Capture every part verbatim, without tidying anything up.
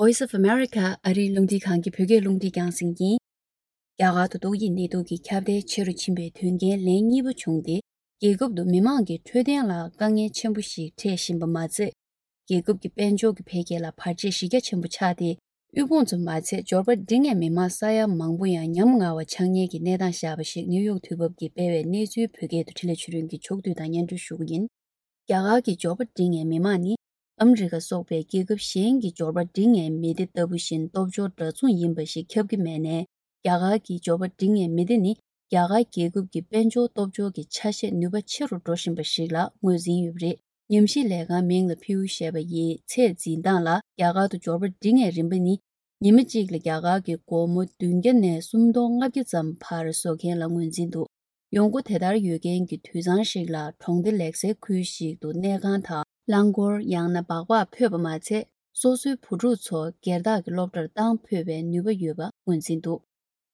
Voice of America ཨ་རིའི་རླུང་འཕྲིན་ཁང་གི་བོད་སྐད་རླུང་འཕྲིན་རྒྱང་སྲིང་ཡིན། རྒྱ་གར་དུ་ཏོག་དབྱིབས་ནད་དུག་གི་ཁྱབ་གདལ་ཆེ་རུ་ཕྱིན་པའི་དོན་རྐྱེན་ལན་གཉིས་པ་བྱུང་སྟེ། རྒྱལ་ཁབ་ཏུ་མི་མང་གི་འཕྲོད་བསྟེན་ལ་དཀའ་ངལ་ཆེན་པོ་ཞིག་འཕྲད་བཞིན་པ་མ་ཚད། རྒྱལ་ཁབ་ཀྱི་དཔལ་འབྱོར་གྱི་འཕེལ་རྒྱས་ལ་བར་ཆད་གཞི་རྒྱ་ཆེན་པོ་ཆགས་ཏེ། དབུལ་ཕོངས་ཙམ་མ་ཚད་འབྱོར་པ་འབྲིང་ངེས་མི་མང་ས་ཡ་མང་པོ་ཡང་ཉམ་ང་བ་ཆགས་ཉེན་གྱི་གནས་སྟངས་བཞག་པ་ཞིག་ནིའུ་ཡོག་དུས་བབ་ཀྱིས་སྤེལ་བའི་གནས་ཚུལ་བོད་སྐད་དུ་འཕྲིན་ལས་ཆོས་སྒྲོན་གྱིས་ཕྱོགས་བསྡུས་དང་སྙན་སྒྲོན་ཞུ་གི་ཡིན། རྒྱ་གར་གྱི་འབྱོར་པ་འབྲིང་ངེས་མི་མང་ནི། ཨ་མི་རི་ཀ་སོགས་པའི་རྒྱལ་ཁབ་གཞན་གྱི་འབྱོར་པ་འབྲིང་ངེས་མི་སྡེ་ལྟ་བུ་བཞིན་སྟོབས་འབྱོར་འདྲ་མཚུངས་ཡིན་པ་ཞིག་ཁྱབ་ཀྱི་མེད་ནས། རྒྱ་གར་གྱི་འབྱོར་པ་འབྲིང་ངེས་མི་སྡེ་ནི། རྒྱ་གར་རྒྱལ་ཁབ་ཀྱི་དཔལ་འབྱོར་སྟོབས་འབྱོར་གྱི་ཆ་ཤས་ནུས་པ་ཆེ་རུ་འགྲོ་བཞིན་པ་ཞིག་ལ་ངོས་འཛིན་ཡོད་པ་རེད། ཉམས་ཞིབ་ལས་ཁང་མིང་ལ་ཕིའུ་ཞེས་པ་ཡིས་ཚད་འཛིན་སྟངས་ལ། རྒྱ་གར་དུ་འབྱོར་པ་འབྲིང་ངེས་རིམ་པ་ནི། ཉི་མ་གཅིག་ལ་རྒྱ་གར་གྱི་སྒོར་མོ་བདུན་བརྒྱ་ནས་སུམ་སྟོང་ལྔ་བརྒྱ་ཙམ་བར་བཟོ་མཁན་ལ་ངོས་འཛིན་འདུག་ཡོང་སྒོ་དེ་ལྟར་ཡོད་མཁན་གྱི་དུད་ཚང་ཞིག་ལ་གྲོང་སྡེ་ལེགས་གསལ་ཁུལ་ཞིག་ཏུ་གནས་ཁང་དང་རླངས་འཁོར། ཡང་ན་སྦག་སྦག་ཕོད་པ་མ་ཚད། སོ་སོའི་བུ་ཕྲུག་ཚོ་སྒེར་བདག་གི་སློབ་གྲྭར་བཏང་ཕོད་པའི་ནུས་པ་ཡོད་པ་ངོས་འཛིན་འདུག་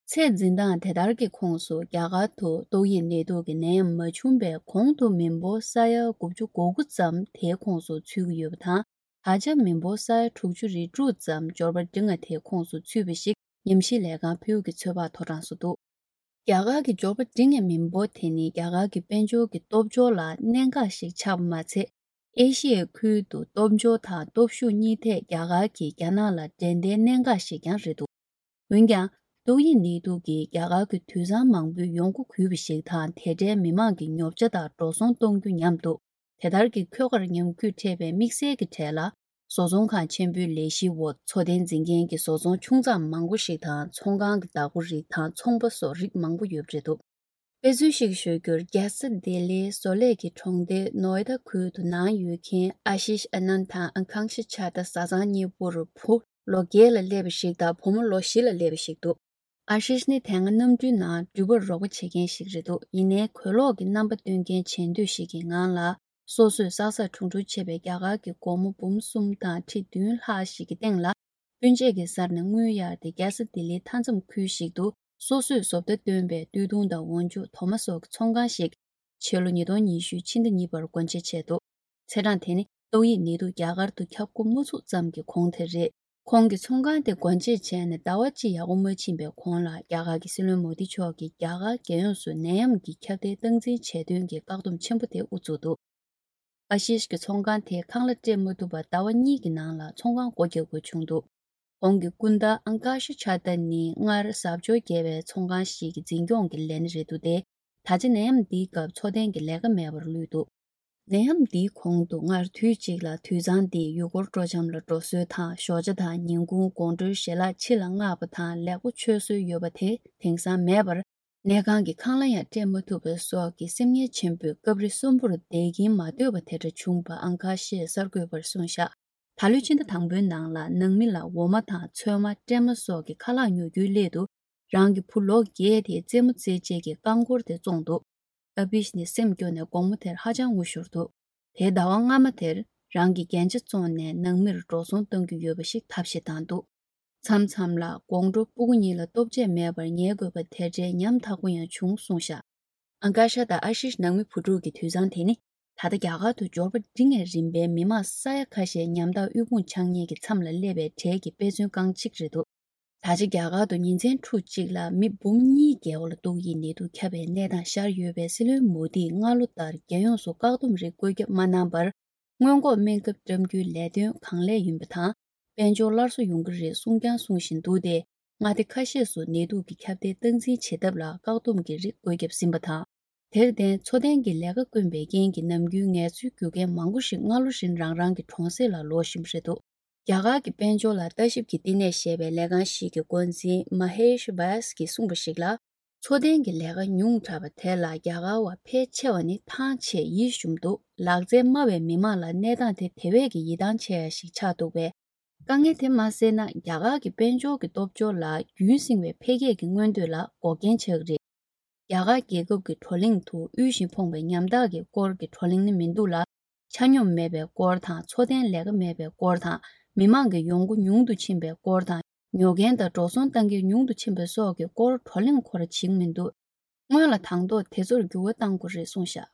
ཚད་འཛིན་སྟངས་དེ་ལྟར་གྱི་ཁོངས་སུ། རྒྱ་གར་དུ་ཏོག་དབྱིབས་ནད་དུག་གི་ནད་ཡམས་མ་བྱུང་བའི་གོང་དུ་མི་འབོར་ས་ཡ་དགུ་བཅུ་གོ་དགུ་ཙམ་དེའི་ཁོངས་སུ་ཚུད་ཀྱི་ཡོད་པ་དང་། ད་ཆ་མི་འབོར་ས་ཡ་དྲུག་ཅུ་རེ་དྲུག་ཙམ་འབྱོར་པ་འབྲིང་ང་དེའི་ཁོངས་སུ་ཚུད་པ་ཞིག་ཉམས་ཞིབ་ལས་ཁང་ཕིའུ་གི་ཚོད་དཔག་ཐོ་གྲངས་སུ་འདུག་རྒྱ་གར་གྱི་འབྱོར་པ་འབྲིང་ངེས་མི་འབོར་དེ་ནི་རྒྱ་གར་གྱི་དཔལ་འབྱོར་གྱི་སྟོབས་འབྱོར་ལ་གནད་འགག་ཞིག་ཆགས་པ་མ་ཚད། ཨེ་ཤི་ཡའི་ཁུལ་དུ་སྟོབས་འབྱོར་དང་སྟོབས་ཤུགས་གཉིས་ཐད་རྒྱ་གར་གྱིས་རྒྱ་ནག་ལ་འགྲན་ཟླའི་གནད་འགག་ཞིག་ཀྱང་རེད་འདུག་འོན་ཀྱང་། ཏོག་དབྱིབས་ནད་དུག་གིས་རྒྱ་གར་གྱི་དུད་ཚང་མང་པོའི་ཡོང་སྒོ་གུད་པ་ཞིག་དང་། དེ་འབྲེལ་མི་མང་གི་ཉོ་ཆ་དང་འགྲོ་སོང་གཏོང་རྒྱུ་མཉམ་དུ། དེ་ལྟར་གྱི་འཁོས་ཀར་ཉམས་རྒུད་འཕྲད་པའི་དམིགས་བསལ་གྱི་གྲས་ལ། བཟོ་ཚོང་ཁང་ཆེན་པོའི་ལས་གཞིའི་འོག་འཚོ་རྟེན་འཛིན་མཁན་གྱི་བཟོ་ཚོང་ཆུང་ཙག་མང་པོ་ཞིག་དང་། ཚོང་ཁང་གི་བདག་པོ་རིགས་དང་ཚོང་པ་སོགས་རིགས་མང་པོ་ཡོད་པ་རེད་འདུག་དཔེ་མཚོན་ཞིག་ཞུ་རྒྱུར། རྒྱལ་ས་ལྡི་ལིའི་བཟོ་ལས་ཀྱི་གྲོང་སྡེ་ནོ་ཨེ་ད་ཁུལ་དུ་ནང་ཡོད་མཁན་ཨ་ཤིཤ་ཨ་ནན་དང་ཨང་ཁང་ཤི་ཆ་ཏ་བཟའ་ཚང་གཉིས་པོར་བུ་ལོ་བརྒྱད་ལ་སླེབས་པ་ཞིག་དང་བུ་མོ་ལོ་བཞི་ལ་སླེབས་པ་ཞིག་འདུག་ཨ་ཤིཤ་ནི་དེ་སྔ་གནམ་གྲུའི་ནང་འགྲུལ་པར་རོགས་པ་བྱེད་མཁན་ཞིག་རེད་འདུག་ཡིན་ནའི་གོས་ལོག་གི་རྣམ་པ་སྟོན་མཁན་བྱེད་འདོད་ཞིག་གི་ངང་ལ། སོ་སོས་བསགས་བསགས་ཁྲུང་ཁྲུང་བྱས་པའི་རྒྱ་གར་གྱི་སྒོར་མོ་འབུམ་གསུམ་དང་ཁྲི་བདུན་ལྷག་ཞིག་གི་སྟེང་ལ། སྤུན་མཆེད་ཀྱི་སར་ནས་དངུལ་གཡར་ཏེ། རྒྱལ་ས་ལྡི་ལིའི་མཐའ་མཚམས་ཁུལ་ཞིག་ཏུ་སོ་སོས་བཟོ་ལྟ་བཏོན་པའི་སྟོད་ཐུང་དང་འོག་འཇུག་དོ་མ་སོགས་ཀྱི་ཚོང་ཁང་ཞིག་ཕྱི་ལོ་ཉིས་སྟོང་ཉི་ཤུ་ཕྱི་ཟླ་གཉིས་པར་སྒོ་འབྱེད་བྱས་འདུག་ཚེས་གྲངས་དེ་ནི་ཏོག་དབྱིབས་ནད་དུག་རྒྱ་གར་དུ་ཁྱབ་འགོ་མ་ཚུགས་ཙམ་གྱི་གོང་དེ་རེད། ཁོང་གིས་ཚོང་ཁང་དེ་སྒོ་འབྱེད་བྱས་ནས་ཟླ་བ་གཅིག་ཡག་པོ་མ་ཕྱིན་པའི་གོང་ལ། རྒྱ་གར་གྱི་སྲིད་བློན་མོ་དི་མཆོག་གིས་རྒྱ་གར་རྒྱལ་ཡོངས་སུ་ནད་ཡམས་ཀྱི་ཁྱབ་གདལ་སྟངས་འཛིན་བྱས་དོན་གྱི་བཀག་སྡོམ་ཆེན་པོ་དེ་དབུ་བཙུགས་འདུག་ཨ་ཤིཤ་གི་ཚོང་ཁང་དེ་ཁང་གླ་སྤྲད་མ་ཐུབ་པར་ཟླ་བ་གཉིས་ཀྱི་ནང་ལ་ཚོང་ཁང་སྒོ་རྒྱག་དགོས་བྱུང་འདུག་ཁོང་གི་སྐུ་ཟླ་ཨང་ཀ་ཤ་ཆ་ཏ་ནི་སྔར་གཟབ་མཆོར་རྒྱས་པའི་ཚོང་ཁང་ཞིག་གི་འཛིན་སྐྱོང་གི་ལས་སྣེ་རེད་འདུག་སྟེ། ད་ཆ་ནད་ཡམས་འདིའི་སྐབས་འཚོ་རྟེན་གྱི་ལས་ཀ་མེད་པར་ལུས་འདུག་ནད་ཡམས་འདིའི་གོང་དུ་སྔར་དུས་གཅིག་ལ་དུད་ཚང་འདིས་ཡུལ་སྐོར་སྤྲོ་འཆམ་ལ་འགྲོ་སྲོལ་དང་། ཞོགས་ཇ་དང་ཉིན་གུང་དགོང་དྲོའི་ཞལ་ལག་ཕྱི་ལ་མངགས་པ་དང་ལེགས་པོ་མཆོད་སྲོལ་ཡོད་པ་དེ་དེང་སང་མེད་པར། གནས་ཁང་གི་ཁང་གླ་ཡང་སྤྲད་མ་ཐུབ་པ་སོགས་ཀྱི་སེམས་ངལ་ཆེན་པོས་སྐབས་རེ་གསོན་པོར་བསྡད་ཀྱིན་མ་སྡོད་པ་དེ་འདྲ་བྱུང་བ་ཨང་ཀ་ཤས་གསར་འགོད་པར་གསུངས་བཞག་ད་ལོའི་ཕྱི་ཟླ་དང་པོའི་ནང་ལ་ནང་མི་ལ་འོ་མ་དང་ཚོད་མ། སྲན་མ་སོགས་ཀྱི་ཁ་ལག་ཉོ་རྒྱུའི་སླད་དུ། རང་གི་བུ་ལོ་བརྒྱད་དེའི་རྩེད་མོ་རྩེད་ཆེད་ཀྱི་རྐང་འཁོར་དེ་བཙོངས་འདུག་ཨ་བིཤ་ནི་སེམས་སྐྱོ་ནས་དགོང་མོ་དེར་ཧ་ཅང་ངུ་ཤོར་འདུག་དེའི་ཟླ་བ་སྔ་མ་དེར་རང་གི་རྒྱན་ཆ་བཙོངས་ནས་ནང་མིར་འགྲོ་སོང་གཏང་རྒྱུ་ཡོད་པ་ཞིག་ཐབས་ཤེས་བཏང་འདུག་མཚམས་མཚམས་ལ་དགོང་དྲོ་སྤུ་གུ་གཉིས་ལ་ལྟོ་ཆས་མེད་པར་ཉལ་དགོས་པ་དེ་འདྲའི་ཉམ་ཐག་པོ་ཡང་བྱུང་གསུངས་བཞག་ཨང་ཀ་ཤ་དང་ཨ་ཤིཤ་ནང་མི་བུ་ཕྲུག་གི་དུད་ཚང་དེ་ནི་ད་ལྟ་རྒྱ་གར་དུ་འབྱོར་པ་འབྲིང་ངེས་རིམ་པའི་མི་མང་ས་ཡ་ཁ་ཤས་ཉམ་ཐག་དབུལ་ཕོངས་ཆགས་ཉེན་གྱི་མཚམས་ལ་སླེབས་པའི་གྲས་ཀྱི་དཔེ་མཚོན་རྐང་གཅིག་རེད་འདུག་ད་ཆ་རྒྱ་གར་དུ་ཉིན་མཚན་ཕྲུགས་གཅིག་ལ་མི་འབུམ་གཉིས་བརྒལ་བ་ལ་ཏོག་དབྱིབས་ནད་དུག་ཁྱབ་པའི་གནས་སྟངས་ཤར་ཡོད་པས། སྲིད་བློན་མོ་དིས་སྔ་ལོ་ལྟར་རྒྱལ་ཡོངས་སུ་བཀག་སྡོམ་རིགས་བཀོད་ཁྱབ་མ་གནང་བར། སྔོན་འགོག་སྨན་ཁབ་བཀྲམ་རྒྱུའི་ལས་དོན་གང་ལེགས་ཡིན་པ་དང་། དཔལ་འབྱོར་སླར་གསོ་ཡོང་གི་རེད་གསུངས་ཀྱང་གསུང་བཞིན་འདུག་སྟེ། མངའ་སྡེ་ཁ་ཤས་སུ་ནད་དུག་གི་ཁྱབ་གདལ་སྟངས་འཛིན་བྱེད་ཐབས་ལ་བཀག་སྡོམ་གྱི་རིགས་བཀོད་ཁྱབ་ཟིན་པ་དང་། དེར་བརྟེན་འཚོ་རྟེན་གྱི་ལས་ཀ་དཀོན་པའི་རྐྱེན་གྱིས་ནམ་རྒྱུན་ངལ་རྩོལ་རྒྱུག་མཁན་མང་པོ་ཞིག་སྔ་ལོ་བཞིན་རང་རང་གི་གྲོང་གསེབ་ལ་ལོག་བཞིན་པ་རེད་འདུག་རྒྱ་གར་གྱི་དཔལ་འབྱོར་ལ་ལྟ་ཞིབ་ཀྱི་བསྟི་གནས་ཞེས་པའི་ལས་ཁང་ཞིག་གི་འགོ་འཛིན་མ་ཧེཤ་བྷ་ཡས་ཀྱིས་གསུངས་པ་ཞིག་ལ། འཚོ་རྟེན་གྱི་ལས་ཀ་ཉུང་དྲགས་པ་དེ་ལ་རྒྱ་གར་བ་ཕལ་ཆེ་བ་ནི་ཐང་ཆད་ཡིད་ཞུམ་འདུག་ལག་རྩལ་དམའ་བའི་མི་མང་ལ་གནས་སྟངས་དེ་དེ་བས་ཀྱི་ཡིད་ཐང་ཆད་ཡ་ཞིག་ཆགས་འདུག་པས། དཀའ་ངལ་དེ་མ་སེལ་ན་རྒྱ་གར་གྱི་དཔལ་འབྱོར་གྱི་སྟོབས་འབྱོར་ལ་རྒྱུན་བསྲིང་བའི་འཕེལ་རྒྱས་ཀྱི་མངོན་འདོད་ལ་འགོག་རྐྱེན་ཆགས་ཀྱི་རེད། རྒྱ་གར་རྒྱལ་ཁབ་ཀྱི་བགྲོ་གླེང་དུ་དབུལ་ཞིང་ཕོངས་པའི་ཉམ་ཐག་གི་སྐོར་གྱི་བགྲོ་གླེང་ནི་མི་འདུག་ལ། ཆ་སྙོམས་མེད་པའི་སྐོར་དང་། འཚོ་རྟེན་ལས་ཀ་མེད་པའི་སྐོར་དང་། མི་མང་གི་ཡོང་སྒོ་ཉུང་དུ་ཕྱིན་པའི་སྐོར་དང་། ཉོ་མཁན་དང་འགྲོ་སོང་གཏང་མཁན་ཉུང་དུ་ཕྱིན་པ་སོགས་ཀྱི་སྐོར་བགྲོ་གླེང་ཁོ་ར་བྱེད་ཀྱི་མི་འདུག་སྔོན་ལ་དང་ཐོག་དེ་ཚོར་འགྱུར་བ་གཏང་དགོས་རེད་གསུངས་བཞག